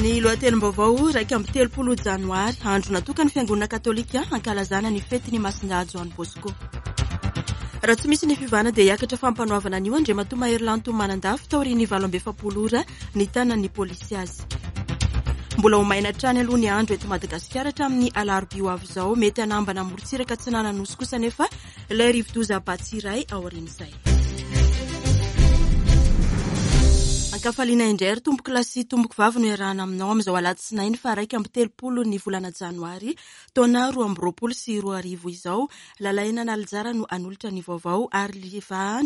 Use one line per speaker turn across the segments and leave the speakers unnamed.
Ny lohatenim-baovao 31 janoary, andro natokan'ny Fiangonana Katolika hankalazana ny fetin'i Masindahy Joany Bosco. Raha tsy misy ny fiovana dia hiakatra fampanoavana anio Andriamatoa Mahery Lanto Manandafy taorian'ny 48 ora nitanan'ny polisy azy. Mbola ho maina hatrany aloha ny andro eto Madagasikara hatramin'ny alarobia ho avy izao. Mety hanambana morontsiraka atsinanan'ny Nosy kosa anefa ilay rivodoza Batsirai aorian'izay. Ankafaliana indray ry tompoko lahy sy tompoko vavy no iarahana aminao amin'izao alatsinainy faha 31 ny volana janoary taona 2022 izao. Lalaina Analijara no hanolotra ny vaovao ary Liva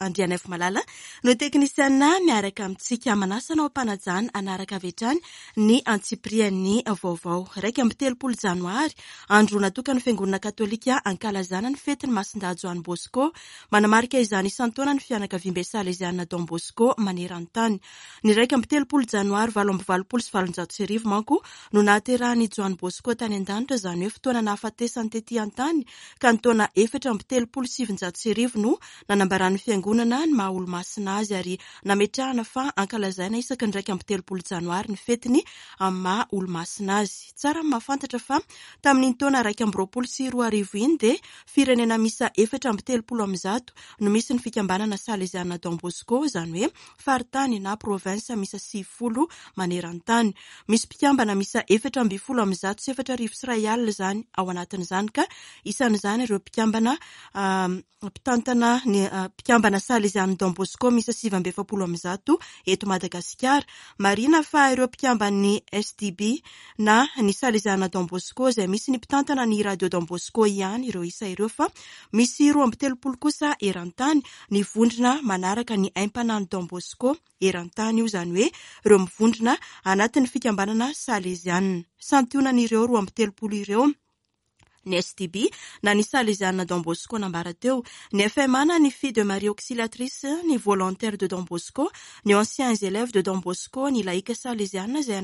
Andrianaivomalala no teknisiana miaraka amintsika. Manasa anao am-panajana hanaraka avy hatrany ny antsipirian'ny vaovao. 31 janoary, andro natokan'ny Fiangonana Katolika hankalazana ny fetin'i Masindahy Joany Bosco. Manamarika izany isan-taona ny fianakaviambe Saleziana Don Bosco maneran-tany. Ny 31 janoary 1888 manko no nahaterahan'i Joany Bosco tany an-danitra, izany hoe fotoana nahafatesany tetỳ an-tany, ka ny taona 1934 no nanambaran'ny Fiangonana ny maha olomasina azy ary nametrahana fa ankalazaina isaky ny 31 janoary ny fetiny amin'ny maha olomasina azy. Tsara ny mahafantatra fa tamin'iny taona 2021 iny dia firenena miisa 134 no misy ny fikambanana Saleziana Don Bosco, izany hoe faritany na province miisa 90 maneran-tany. Misy mpikambana miisa 1114 izany ao anatin'izany ka isan'izany ireo mpikambana mpitantana ny mpikambana Salezian'ny Don Bosco miisa 149 eto Madagasikara. Marihina fa ireo mpikamban'ny SDB na ny Saleziana Don Bosco izay misy ny mpitantana ny Radio Don Bosco ihany ireo isa ireo fa misy 32 kosa eran-tany ny vondrona manaraka ny aim-panahin'i Don Bosco eran-tany io, izany hoe ireo mivondrona anatin'ny fikambanana Saleziana. Santionan'ireo 32 ireo ny SDB na ny Saleziana Don Bosco nambara teo, ny FMA na ny Filles de Marie Auxiliatrice, ny Volontaires de Don Bosco, ny Anciens Élèves de Don Bosco, ny Laïka Saleziana izay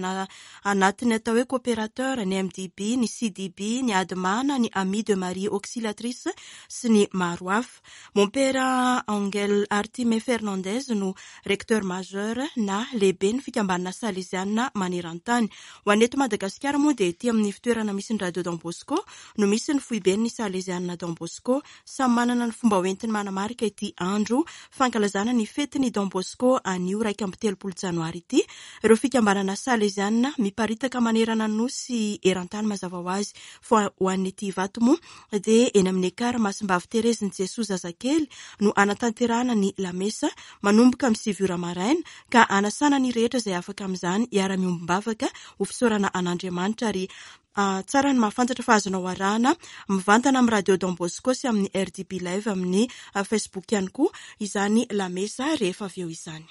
anatin'ny atao hoe Coopérateur, ny MDB, ny CDB, ny ADMA na ny Amis de Marie Auxiliatrice sy ny maro hafa. Mompera Angel Artime Fernandez no Recteur Majeur na lehiben'ny fikambanana Saleziana maneran-tany. Ho an'ny eto Madagasikara moa dia ety amin'ny fitoerana misy ny Radio Don Bosco no misy ny foiben'ny Saleziana Don Bosco. Samy manana ny fomba hoentiny manamarika ity andro fankalazana ny fetin'i Don Bosco anio 31 janoary ity ireo fikambanana Saleziana miparitaka manerana ny Nosy eran-tany mazava ho azy. Fa ho an'ny ety Ivato moa dia eny amin'ny Ekar Masimbavy Terezin'i Jesoa Zazakely no hanatanterahana ny lamesa manomboka amin'ny sivy ora maraina ka hanasana ny rehetra izay afaka amin'izany hiara-miombom-bavaka ho fisaorana an'Andriamanitra ary tsara ny mahafantatra fa azonao arahana mivantana amin'ny Radio Don Bosco sy amin'ny RDB Live amin'ny Facebook ihany koa izany lamesa rehefa avy eo izany.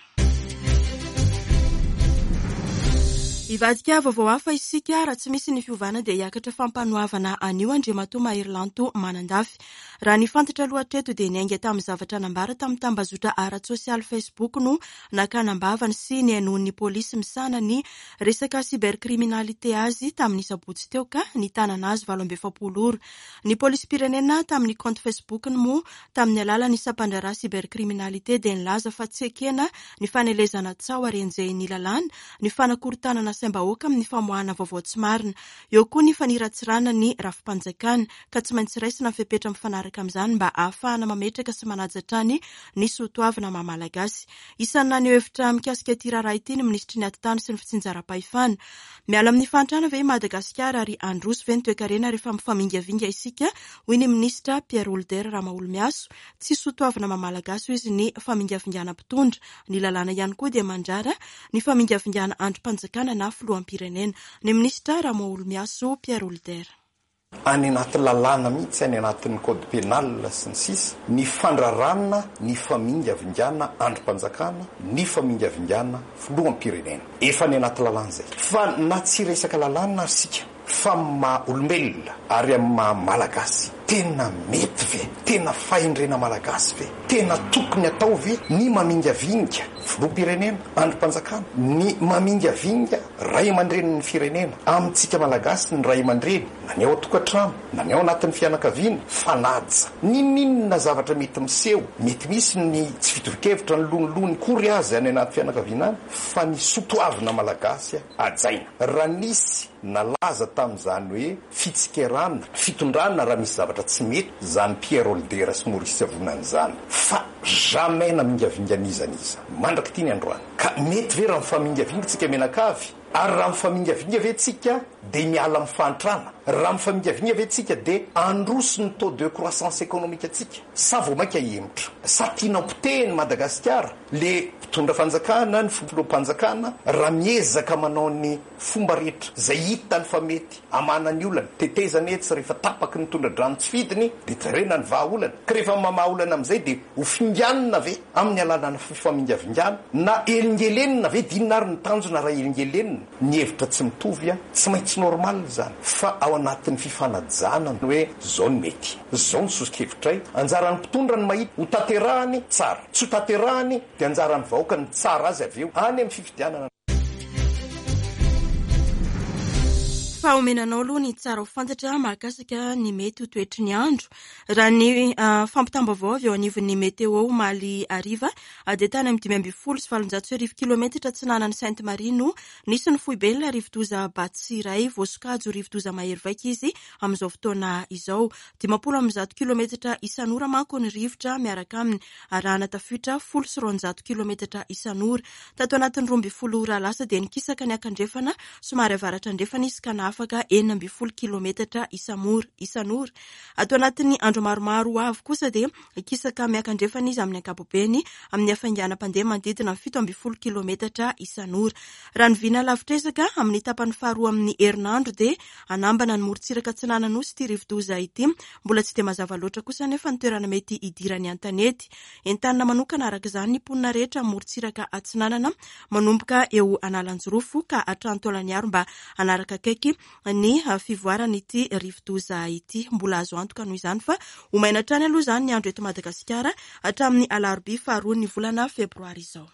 Hivadika vaovao hafa isika raha tsy misy ny fiovana dia hiakatra fampanoavana anio Andriamatoa Mahery Lanto Manandafy. Raha ny fantatra aloha hatreto dia niainga tamin'ny zavatra nambara tamin'ny tambazotra ara-tsosialy Facebook no nakana am-bavany sy nihainoan'ny polisy misahana ny resaka cybercriminalité azy tamin'ny sabotsy teo ka nitanana azy 48 ora. Ny polisim-pirenena tamin'ny kaonty Facebook-ny moa tamin'ny alalan'ny sampandraharaha cybercriminalité dia nilaza fa tsy ekena ny fanelezana tsaho ary enjehin'ny lalàna ny fanakorontanana saim-bahoaka amin'ny famoahana vaovao tsy marina. Eo koa ny faniratsirana ny rafi-panjakana ka tsy maintsy raisina ny fepetra mifanaraka amin'izany mba ahafahana mametraka sy manaja hatrany ny soatoavina maha Malagasy. Isan'ny naneho hevitra mikasika ity raharaha ity ny minisitry ny Atitany sy ny fitsinjaram-pahefana. Miala amin'ny fahantrana ve i Madagasikara ary handroso ve ny toekarena rehefa mifamingavinga isika hoy ny minisitra Pierre Holder Ramaholimiaso. Tsy soatoavina maha Malagasy hoy izy ny famingavingana mpitondra. Ny lalàna ihany koa dia mandrara ny famingavingana andrim-panjakana na filoham-pirenena. Ny minisitra Ramaholimiaso Pierre Holder.
Any anaty lalàna mihitsy, any anatin'ny code pénal sy ny sisa, ny fandraràna ny famingavingana andrim-panjakana, ny famingavingana filoham-pirenena. Efa any anaty lalàna izay. Fa na tsy hiresaka lalàna ary isika, fa amin'ny maha olombelona ary amin'ny maha Malagasy. Tena mety ve? Tena fahendrena malagasy ve? Tena tokony atao ve ny mamingavinga filoham-pirenena, andrim-panjakana, ny mamingavinga ray aman-drenin'ny firenena? Amintsika malagasy ny ray aman-dreny, na ny ao an-tokantrano, na ny ao anatin'ny fianakaviana, fanaja. N'inon'inona zavatra mety miseho, mety misy ny tsy fitovi-kevitra, ny lonilony kory aza any anaty fianakaviana any, fa ny sotoavina malagasy hajaina. Raha nisy nalaza tamin'izany hoe fitsikerana fitondrana raha misy zavatra tsy mety izany Pierre Holdera sy Maurice Avonana izany, fa jamais namingavinga an'iza n'iza mandrak'ity ny androany. Ka mety ve raha mifamingavinga tsika mianakavy? Ary raha mifamingavinga ve tsika dia miala amin'ny fahantrana? Raha mifamingavinga ve tsika dia handroso ny taux de croissance économique antsika? Sa vao mainka hihemotra? Sa tiana ho potehin'i Madagasikara le mpitondra fanjakana, ny filoham-panjakana raha miezaka manao ny fomba rehetra izay hitany fa mety hamahana ny olana, tetezana etsy rehefa tapaky ny tondra-drano tsy fidiny dia jerena ny vahaolana, ka rehefa mamaha olana amin'izay dia ho finganina ve amin'ny alalan'ny fifamingavingana na elingelenina ve dia inona ary ny tanjona raha elingelenina? Ny hevitra tsy mitovy tsy maintsy normal izany fa ao anatin'ny fifanajana ny hoe zao ny mety, zao ny soso-kevitray, anjaran'ny mpitondra ny mahita ho tanterahany tsara, tsy ho tanterahany dia anjaran'ny vahoaka ny mitsara azy avy eo any amin'ny fifidianana.
Fa omena anao aloha ny tsara ho fantatra mahakasika ny mety ho toetry ny andro. Raha ny fampitam-baovao avy eo anivon'ny Météo omaly hariva dia tany amin'ny 1815 kilometatra atsinanan'i Sainte Marie no nisy ny foiben'ilay rivodoza Batsirai. Voasokajy ho rivodoza mahery vaika izy amin'izao fotoana izao. 150 kilometatra isan'ora manko ny rivotra miaraka aminy, arahana tafiotra 210 kilometatra isan'ora. Tato anatin'ny 12 ora lasa dia nikisaka niakandrefana somary avaratra andrefana izy ka nahafaka 16 kilometatra isan'ora. Ato anatin'ny andro maromaro ho avy kosa dia hikisaka miakandrefana izy amin'ny ankapobeny amin'ny hafainganam-pandeha manodidina ny 17 kilometatra isan'ora. Raha ny vina lavitr'ezaka, amin'ny tapany faharoa amin'ny herinandro dia hanambana ny morontsiraka atsinanan'Nosy ity rivodoza ity. Mbola tsy dia mazava loatra kosa anefa ny toerana mety hidirany an-tanety. Entanina manokana araka izany ny mponina rehetra amin'ny morontsiraka atsinanana manomboka eo Analanjirofo ka hatrany Taolagnaro mba hanaraka akaiky ny fivoaran'ity rivodoza ity. Mbola azo antoka noho izany fa ho maina hatrany aloha izany ny andro eto Madagasikara hatramin'ny alarobia faharoa ny volana febroary izao.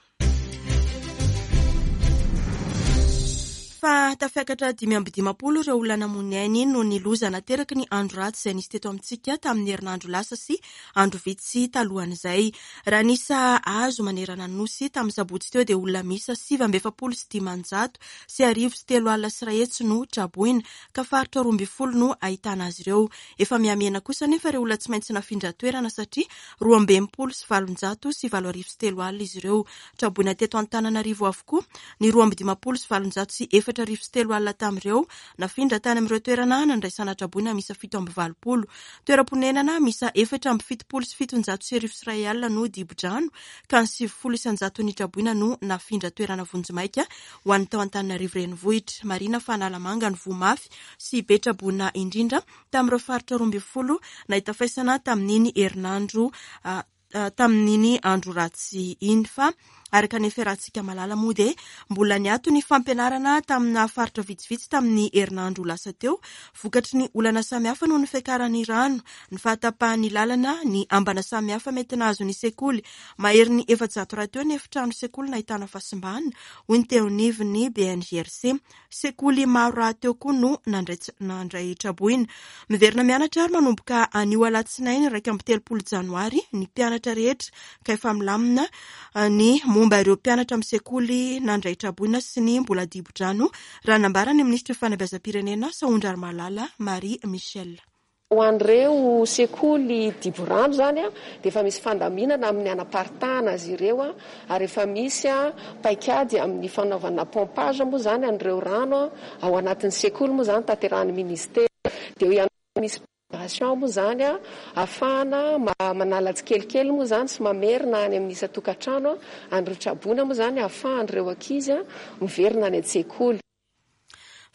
Fa tafiakatra 55 ireo olona namoy ny ainy noho ny loza nateraky ny andro ratsy izay nisy teto amintsika tamin'ny herinandro lasa sy andro vitsy talohan'izay. Raha ny isa azo manerana ny Nosy tamin'ny sabotsy teo dia olona miisa 149 101 no traboina, ka faritra 12 no ahitana azy ireo. Efa mihamihena kosa anefa ireo olona tsy maintsy nafindra toerana satria 862 803 izy ireo. Traboina teto Antananarivo avokoa ny 852 403 tamin'ireo nafindra tany amin'ireo toerana nandraisana traboina miisa 87. Toeram-ponenana miisa 1774 101 no dibo-drano, ka ny 90% ny traboina no nafindra toerana vonjimaika ho an'ny tao Antananarivo renivohitra. Marihina fa Analamanga no voa mafy sy be traboina indrindra tamin'ireo faritra 12 nahita faisana tamin'iny herinandro tamin'iny andro ratsy iny. Fa araka ny fiarahantsika malala moa dia mbola niato ny fampianarana tamina faritra vitsivitsy tamin'ny herinandro lasa teo vokatry ny olana samihafa noho ny fiakaran'ny rano, ny fahatapahan'ny lalana, ny ambana samihafa mety nahazo ny sekoly. Maherin'ny 400 rahateo ny efitrano sekoly nahitana fahasimbana, hoy ny teo anivon'ny BNGRC. Sekoly maro rahateo koa no nandray traboina. Miverina mianatra ary manomboka anio alatsinainy 31 janoary ny mpianatra rehetra ka efa milamina ny momba ireo mpianatra amin'ny sekoly nandray traboina sy ny mbola dibo-drano, raha nambara ny minisitry ny fanabeazam-pirenena Sahondrarimalala Marie Michelle.
Ho an'ireo sekoly dibo-rano izany dia efa misy fandaminana amin'ny hanaparitahana azy ireo ary efa misy paikady amin'ny fanaovana pompage moa izany an'ireo rano ao anatin'ny sekoly moa izany tanterahan'ny ministera. Dia eo ihany koa misy opération moa izany ahafahana manala tsikelikely moa izany sy mamerina any amin'ny isan-tokantrano an'ireo traboina moa izany ahafahan'ireo ankizy miverina any an-tsekoly.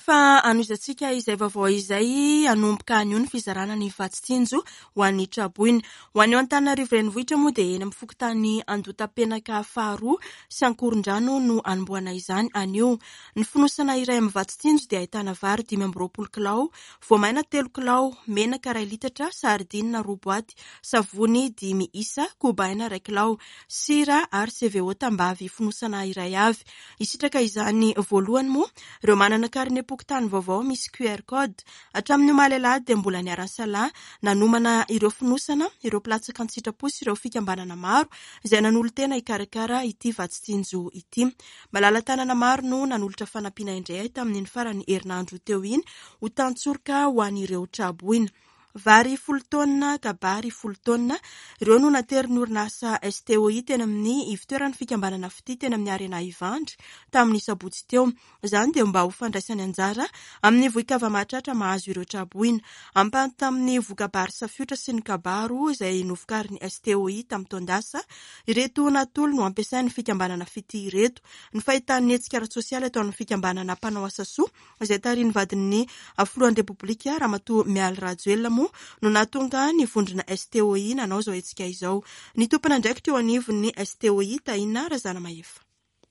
Fa hanohizantsika izay vaovao izay, hanomboka anio ny fizarana ny vatsy tsinjo ho an'ny traboina. Ho an'ny eo Antananarivo Renivohitra moa dia eny amin'ny fokontany Andotapenaka faharoa sy Ankorondrano no hanombohana izany anio. Ny fonosana iray amin'ny vatsy tsinjo dia ahitana vary 25 kilao, voamaina 3 kilao, menaka iray litatra, sardine 2 boaty, savony 5 isa, koba aina 1 kilao, sira ary CVO tambavy fonosana iray avy. Hisitraka izany voalohany moa ireo manana karinem-pokontany vaovao misy QR code. Hatramin'ny omaly alahady dia mbola niara-nisalahy nanomana ireo fonosana, ireo mpilatsaka an-tsitrapo sy ireo fikambanana maro izay nanolo-tena hikarakara ity vatsy tsinjo ity. Malala-tanana maro no nanolotra fanampiana indray tamin'iny faran'ny herinandro teo iny ho tantsoroka ho an'ireo traboina. Vary 10 taonina, kabary 10 taonina, ireo no naterin'ny orinasa STOI teny amin'ny ivotoeran'ny fikambanana Fitia teny amin'ny Arena Ivandry tamin'ny sabotsy teo. Izany dia mba ho fandraisany anjara amin'ny vohi-kava-mahatratra mahazo ireo traboina. Ampahany tamin'ny voka-bary safiotra sy ny kabaro izay novokarin'ny STOI tamin'ny taon-dasa, ireto natolo no ampiasain'ny fikambanana Fitia ireto. Ny fahitan'ny hetsika ara-tsosialy ataon'ny fikambanana mpanao asa soa izay tarihin'ny vadin'ny filohan'ny Repoblika Ramatoa Mialy Rajoelina moa no nahatonga ny vondrona STOI nanao izao hetsika izao. Ny tompon'andraikitra eo anivon'ny STOI Tahina Razanamahefa.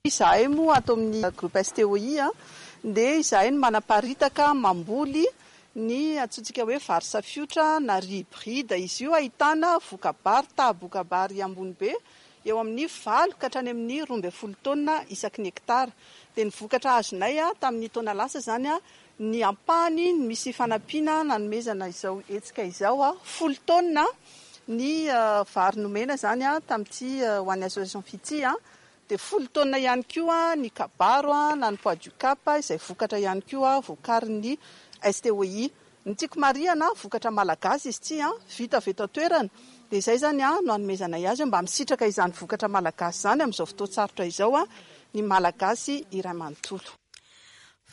Izahay moa ato amin'ny groupe STOI dia izahay no manaparitaka mamboly ny antsointsika hoe vary safiotra na riz hybride. Izy io ahitana voka-bary, taha-boka-bary ambony be eo amin'ny 8 ka hatrany amin'ny 12 taonina isaky ny hektara. Dia ny vokatra azonay tamin'ny taona lasa izany ny ampahany misy fanampiana nanomezana izao hetsika izao 10 taonina ny vary nomena izany tamin'ity ho an'ny association Fitia. Dia 10 taonina ihany koa ny kabaro na ny pois du Cap izay vokatra ihany koa vokarin'ny STOI. Ny tiako marihana vokatra malagasy izy ity vita avy eto an-toerana. Dia izay izany no hanomezanay azy mba misitraka izany vokatra malagasy izany amin'izao fotoan-tsarotra izao ny malagasy iray manontolo.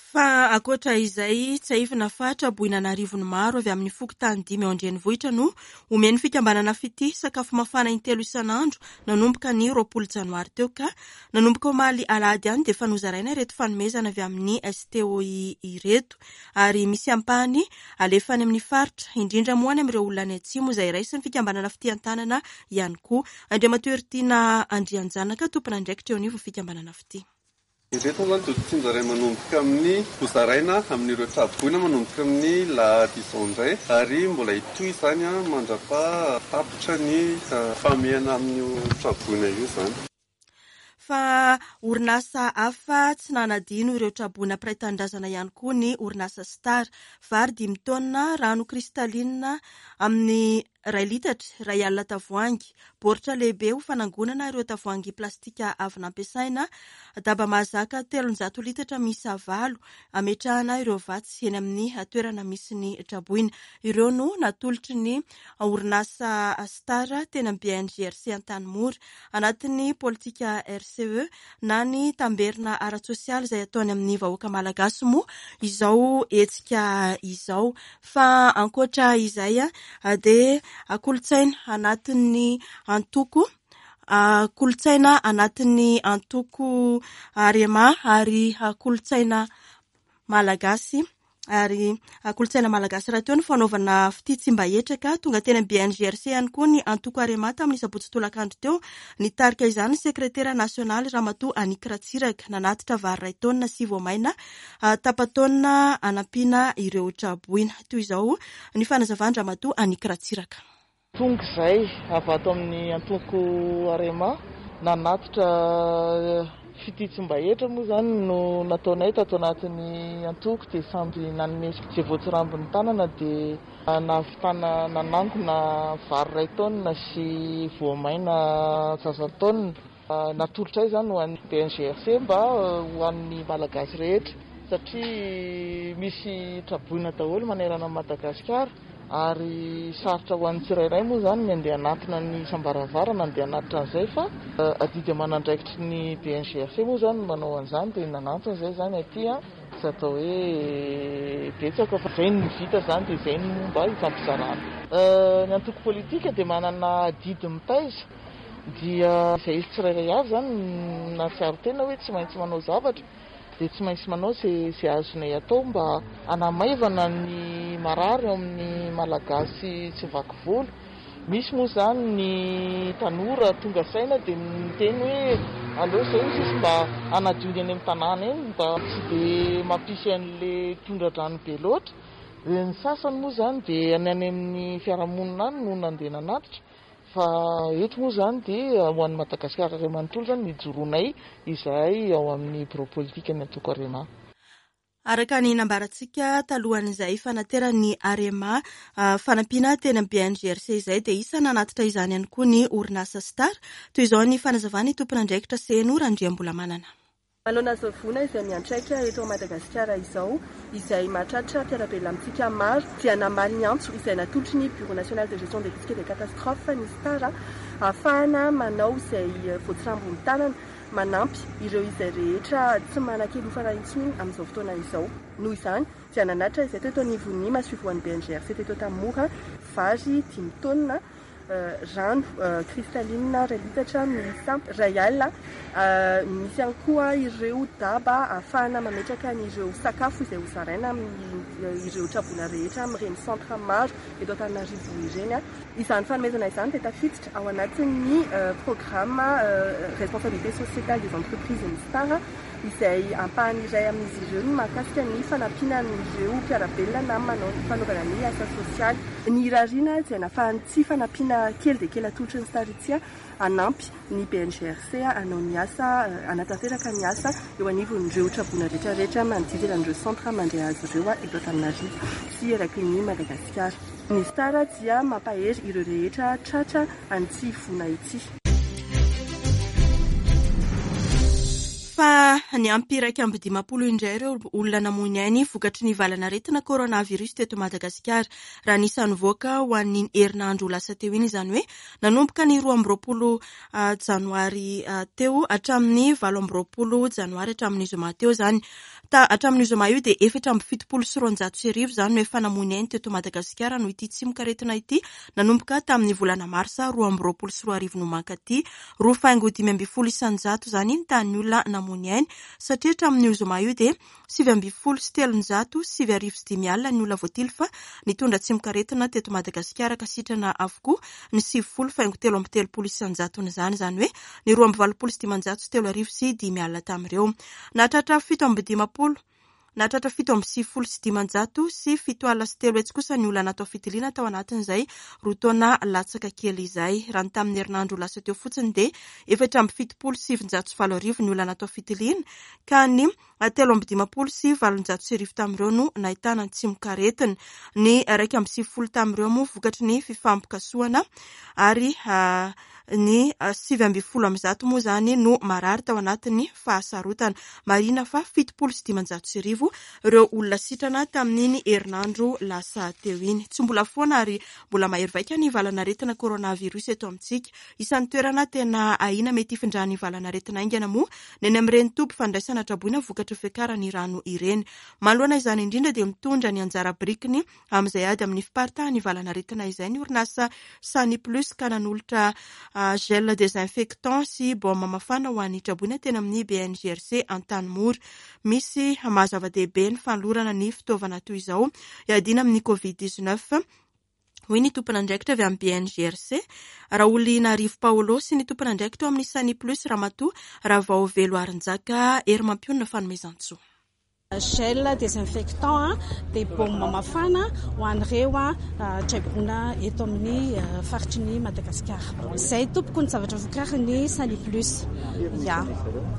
Fa ankoatra izay, tsiahivina fa traboina an'arivony maro avy amin'ny fokontany 5 ao an-drenivohitra no omen'ny fikambanana Fitia sakafo mafana intelo isan'andro nanomboka ny 20 janoary teo ka nanomboka omaly alahady ihany dia efa nozaraina ireto fanomezana avy amin'ny STOI ireto ary misy ampahany alefa any amin'ny faritra indrindra moa any amin'ireo olona any atsimo izay raisin'ny fikambanana Fitia an-tanana ihany koa. Andriamatoa Heritiana Andrianjanaka, tompon'andraikitra eo anivon'ny fikambanana Fitia.
Ireto moa izany dia tsinjaray manomboka amin'ny hozaraina amin'ireo traboina manomboka amin'ny lahady izao indray ary mbola hitohy izany mandra-pahatapitra ny fahamehana amin'io traboina io izany.
Fa orinasa hafa tsy nanadino ireo traboina mpiray tanindrazana ihany koa ny orinasa Star. Vary 5 taonina, rano kristalinina amin'ny 1 litatra, 1 alina tavoahangy, baoritra lehibe ho fanangonana ireo tavoahangy plastika avy nampiasaina, daba mahazaka 300 litatra miisa 8 ametrahana ireo vatsy eny amin'ny toerana misy ny traboina. Ireo no natolotry ny orinasa Star teny amin'ny BNGRC Antanimora. Anatin'ny politika RCE na ny tamberina ara-tsosialy izay ataony amin'ny vahoaka malagasy moa izao hetsika izao. Fa ankoatra izay dia kolontsaina anatin'ny antoko, kolontsaina anatin'ny antoko Arema ary kolontsaina malagasy. Ary kolontsaina malagasy rahateo ny fanaovana fitia tsy mba hetraka. Tonga teny amin'ny BNGRC ihany koa ny antoko Arema tamin'ny sabotsy tolakandro teo. Nitarika izany ny sekretera nasionaly Ramatoa Annick Ratsiraka. Nanatitra vary 1 taonina sy voamaina tapa-taonina hanampiana ireo traboina. Toy izao ny fanazavan-dRamatoa Annick Ratsiraka.
Tonga izay avy ato amin'ny antoko Arema nanatitra fitia tsy mba hetra moa izany no nataonay tato anatin'ny antoko dia samby nanome izay voatsirambin'ny tanana dia nahavitana nanangona vary 1 taonina sy voamaina 1/3 taonina. Natolotra izany ho an'ny BNGRC mba ho an'ny malagasy rehetra satria misy traboina daholo manerana an'i Madagasikara ary sarotra ho an'ny tsirairay moa izany ny andeha hanatona ny isam-baravarana andeha hanatitra an'izay fa adidy aman'andraikitry ny BNGRC moa izany no manao an'izany dia nanantona izay izany aty tsy atao hoe betsaka fa izay no vita izany dia izay no mba hifampizarana. Ny antoko politika dia manana adidy mitaiza dia izay izy tsirairay avy izany nahatsiaro tena hoe tsy maintsy manao zavatra. dia tsy maintsy manao izay azonay atao mba hanamaivana ny marary ao amin'ny Malagasy tsy vaky volo. Misy moa izany ny tanora tonga saina dia miteny hoe aleo izay hoy sisa mba hanadio ny eny amin'ny tanàna eny mba tsy dia mampisy an'ilay tondra-drano be loatra. Ny sasany moa izany dia ny any amin'ny fiarahamonina any no nandeha nanatitra fa eto moa izany dia ho an'i Madagasikara iray manontolo izany no ijoroanay izahay ao amin'ny birao politikan'ny antoko Arema.
Araka ny nambarantsika talohan'izay fanateran'ny Arema fanampiana teny amin'ny BNGRC izay dia isan'ny nanatitra izany ihany koa ny orinasa Star. Toy izao ny fanazavan'ny tompon'andraikitra Seno Randriambolamanana.
Manoloana izao voina izay miantraika eto Madagasikara izao, izay mahatratra mpiara-belona amintsika maro, dia namaly ny antso izay natolotry ny Bureau National de Gestion des Risques et des Catastrophes ny Star ahafahana manao izay voatsirambin'ny tanana manampy ireo izay rehetra tsy manan-kelofana intsony amin'izao fotoana izao. Noho izany dia nanatitra izay teto anivon'ny masoivohon'ny BNGRC teto Antanimora vary dimy taonina, rano cristalline iray litatra miisa iray alina, misy ihany koa ireo daba ahafahana mametraka an'ireo sakafo izay hozaraina amin'ireo traboina rehetra amin'ireny centre maro eto Antananarivo ireny. Izany fanomezana izany dia tafiditra ao anatin'ny programa Responsabilité sociétale des entreprises ny Star, izay ampahany iray amin'izy ireo ny mahakasika ny fanampiana an'ireo mpiara-belona na manao ny fanaovana ny asa sosialy. Ny irariana dia nafahan'ity fanampiana kely dia kely atolotry ny Star ity hanampy ny BNGRC hanao ny asa, hanatanteraka ny asa eo anivon'ireo traboina rehetra rehetra manodidina an'ireo centre mandray azy ireo eto Antananarivo sy eraky ny Madagasikara. Ny Star dia mampahery ireo rehetra tratra an'ity voina ity.
Fa niampy 51 indray ireo olona namoy ny ainy vokatry ny valanaretina coronavirus teto Madagasikara. Raha ny isa nivoaka ho an'iny herinandro lasa teo iny, izany hoe nanomboka ny 22 janoary teo hatramin'ny 28 janoary hatramin'ny zoma teo izany. Ta hatramin'io zoma io dia 1274 izany no efa namoy ny ainy teto Madagasikara noho ity tsimokaretina ity nanomboka tamin'ny volana marsa 2022 no mankaty. 2,15% izany ny tahan'ny olona namoy ny ainy satria hatramin'io zoma io dia 319,905 ny olona voatily fa nitondra tsimokaretina teto Madagasikara ka sitrana avokoa ny 90,33 isan-jaton'izany, izany hoe ny 382,305 tamin'ireo. Nahatratra 57 Nahatratra 397,300 kosa ny olona natao fitiliana tao anatin'izay roa taona latsaka kely izay. Raha ny tamin'ny herinandro lasa teo fotsiny dia 974,908 ny olona natao fitiliana ka ny 1853 tamin'ireo no nahitana ny tsimokaretina. Ny 91 tamin'ireo moa vokatry ny fifampikasohana ary ny 119 moa izany no marary tao anatin'ny fahasarotana. Marihina fa 1570 ireo olona sitrana tamin'iny herinandro lasa teo iny. Tsy mbola foana ary mbola mahery vaika ny valanaretina coronavirus eto amintsika. Isan'ny toerana tena ahiana mety hifindran'ny valanaretina haingana moa ny any amin'ireny toby fandraisana traboina vokatry ny fiakaran'ny rano ireny. Manoloana izany indrindra dia mitondra ny anjara birikiny amin'izay ady amin'ny fiparitahan'ny valanaretina izay ny orinasa Sani Plus ka nanolotra gel désinfectant sy baume mafana ho an'ny traboina teny amin'ny BNGRC Antanimora. Misy maha zava-dehibe ny fanolorana ny fitaovana toy izao hiadiana amin'ny Covid 19, hoy ny tompon'andraikitra avy amin'ny BNGRC, Raholinarivo Paolo sy ny tompon'andraikitra ao amin'ny Sani Plus, Ramatoa Ravaovelo Harinjaka Herimampionona Fanomezantsoa.
Gel désinfectant dia baume mafana ho an'ireo traibona eto amin'ny faritry ny Madagasikara. Izay tompoko ny zavatra vokarin'ny Sani Plus. Ya.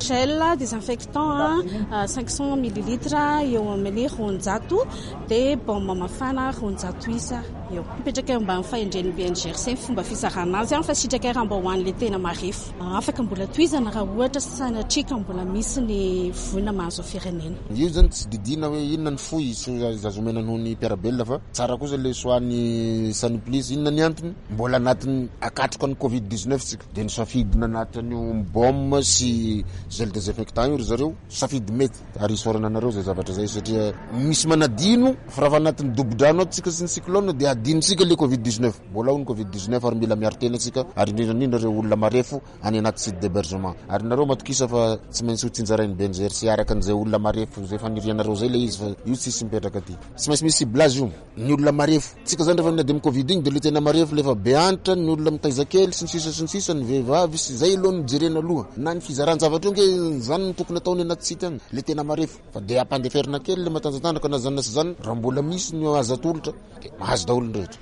Gel désinfectant 500 millilitres eo amin'ny 200 dia baume mafana 200 isa eo. Mipetraka eo ambany fahendren'ny BNGRC ny fomba fizarana azy fa sitraka raha mba ho an'ilay tena marefo. Afaka mbola tohizana raha ohatra sanatria ka mbola misy ny voina mahazo firenena.
Io zany tsy didiana hoe inona ny fohy sy azo omena noho ny mpiara-belona fa tsara kosa le choix ny Saniplus. Inona ny antony? Mbola anatin'ny akatroka ny covid 19 tsika dia nisafidy nanatitra an'io baume sy gel désinfectant io ry zareo. Safidy mety ary isaorana anareo izay zavatra izay satria misy manadino fa raha anatin'ny dobo-drano ato tsika sy ny cyclone dia. adinontsika le covid 19. Mbola ao ny covid 19 ary mila miaro tena tsika, ary indrindra indrindra ireo olona marefo any anaty site d'hebergement. Ary nareo matokisa fa tsy maintsy ho tsinjarain'ny BNGRC araka an'izay olona marefo izay fanirianareo izay le izy fa io tsisy mipetraka aty. Tsy maintsy misy ciblage io. Ny olona marefo. Tsika zany rehefa miady amin'ny covid iny de le tena marefo le efa be antitra, ny olona mitaiza kely sy ny sisa sy ny sisa, ny vehivavy sy zay aloha no jerena aloha. Na ny fizaran-javatra io nge zany no tokony atao any anaty site any. Le tena marefo. Fa de ampandeferina kely le matanjatanjaka na zany na tsy zany raha mbola misy ny azo atolotra de mahazo daholo ny rehetra.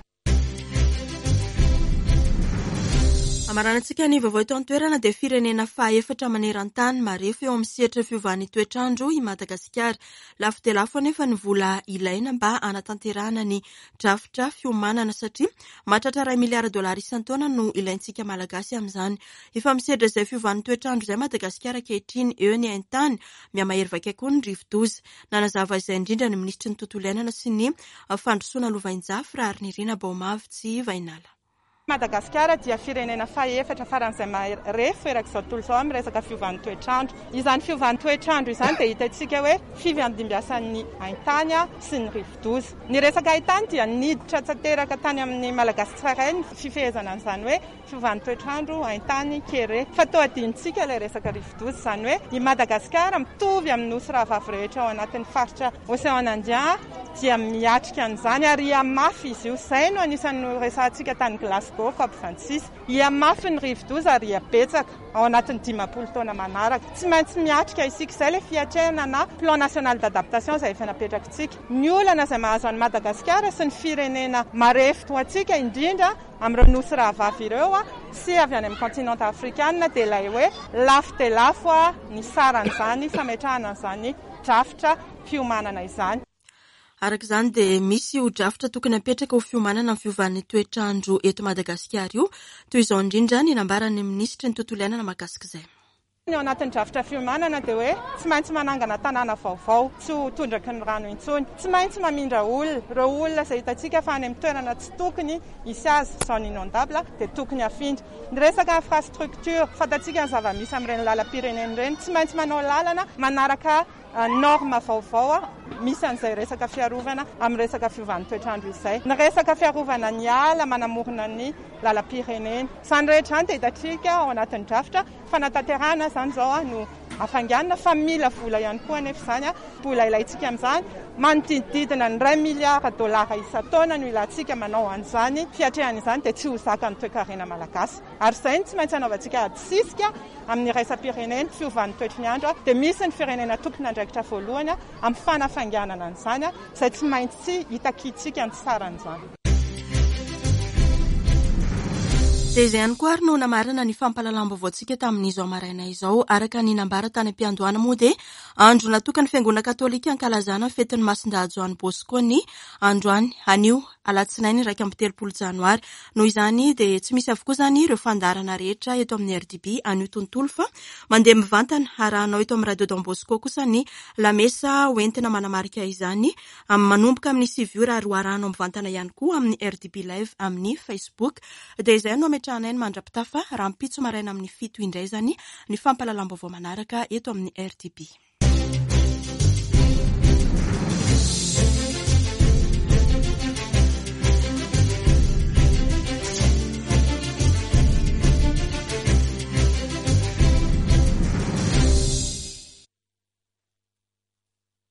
Amaranantsika ny vaovao eto an-toerana dia firenena fahaefatra maneran-tany marefo eo amin'ny sehatra fiovan'ny toetr'andro i Madagasikara. Lafo dia lafo anefa ny vola ilaina mba hanatanterahana ny drafitra fiomanana satria mahatratra iray miliara dolara isan-taona no ilaintsika Malagasy amin'izany. Efa misedra izay fiovan'ny toetr'andro izay Madagasikara ankehitriny, eo ny haintany, mihamahery vaika koa ny rivodoza. Nanazava izay indrindra ny minisitry ny tontolo iainana sy ny fandrosoana lovainjafy, Raharinirina Baomavy Vahinala.
Madagasikara dia firenena fahefatra faran'izay marefo erak'izao tontolo izao amin'ny resaka fiovan'ny toetr'andro. Izany fiovan'ny toetr'andro izany dia hitantsika hoe fifandimbiasan'ny haintany sy ny rivodoza. Ny resaka haintany dia niditra tanteraka tany amin'ny Malagasy tsirairay ny fifehezana an'izany hoe fiovan'ny toetr'andro, haintany, kere. Fa toa adinontsika ilay resaka rivodoza. Izany hoe i Madagasikara mitovy amin'ny nosy rahavavy rehetra ao anatin'ny faritra Océan Indien dia miatrika an'izany ary hihamafy izy io. Izay no anisan'ny noresahantsika tany Glasgow, Cop 26. Hihamafy ny rivodoza ary hihabetsaka ao anatin'ny 50 taona manaraka. Tsy maintsy miatrika isika. Izay ilay fiatrehana na Plan national d'adaptation izay efa napetrakitsika. Ny olana izay mahazo an'i Madagasikara sy ny firenena marefo toa antsika, indrindra amin'ireo nosy rahavavy ireo sy avy any amin'ny kontinanta afrikana dia ilay hoe lafo dia lafo ny saran'izany fametrahana an'izany drafitra fiomanana izany.
Araka izany dia misy io drafitra tokony hapetraka ho fiomanana amin'ny fiovan'ny toetr'andro eto Madagasikara io. Toy izao indrindra ny nambaran'ny minisitry ny tontolo iainana mahakasika izay.
Ny ao anatin'ny drafitra fiomanana dia hoe tsy maintsy manangana tanàna vaovao tsy ho tondraky ny rano intsony. Tsy maintsy mamindra olona. Ireo olona izay hitantsika fa any amin'ny toerana tsy tokony hisy azy, zone inondable, dia tokony hafindra. Ny resaka infrastructure, fantatsika ny zava-misy amin'ireny lalam-pirenena ireny. Tsy maintsy manao lalana manaraka norme vaovao misy an'izay resaka fiarovana amin'ny resaka fiovan'ny toetr'andro izay. Ny resaka fiarovana ny ala manamorona ny lalam-pirenena. Izany rehetra izany dia hitantsika ao anatin'ny drafitra fanatanterahana izany izao no hafainganina fa mila vola ihany koa anefa izany. Vola ilaintsika amin'izany manodidididina ny iray miliara dolara isan-taona no ilantsika manao an'izany fiatrehana izany dia tsy ho zakan'ny toekarena malagasy. Ary izay no tsy maintsy hanaovantsika ady sisika amin'ny iraisam-pirenena, fiovan'ny toetry ny andro, dia misy ny firenena tompon'andraikitra voalohany amin'ny fanafainganana an'izany, izay tsy maintsy hitakiantsika ny saran'izany.
Dia izay ihany koa ary no namarana ny fampahalalam-baovaontsika tamin'izao maraina izao. Araka ny nambara tany am-piandohana moa dia andro natokan'ny Fiangonana Katolika hankalazana ny fetin'ny Masindahy Joany Bosco ny androany, anio. alatsinainy 31 janoary. Noho izany dia tsy misy avokoa izany ireo fandaharana rehetra eto amin'ny RDB anio tontolo fa mandeha mivantana arahanao eto amin'ny Radio Don Bosco kosa ny lamesa hoentina manamarika izany manomboka amin'ny 9 ora ary ho arahanao mivantana ihany koa amin'ny RDB Live amin'ny Facebook. Dia izay no ametrahanay ny mandra-pitafa rahampitso maraina amin'ny 7 indray izany ny fampahalalam-baovao manaraka eto amin'ny RDB.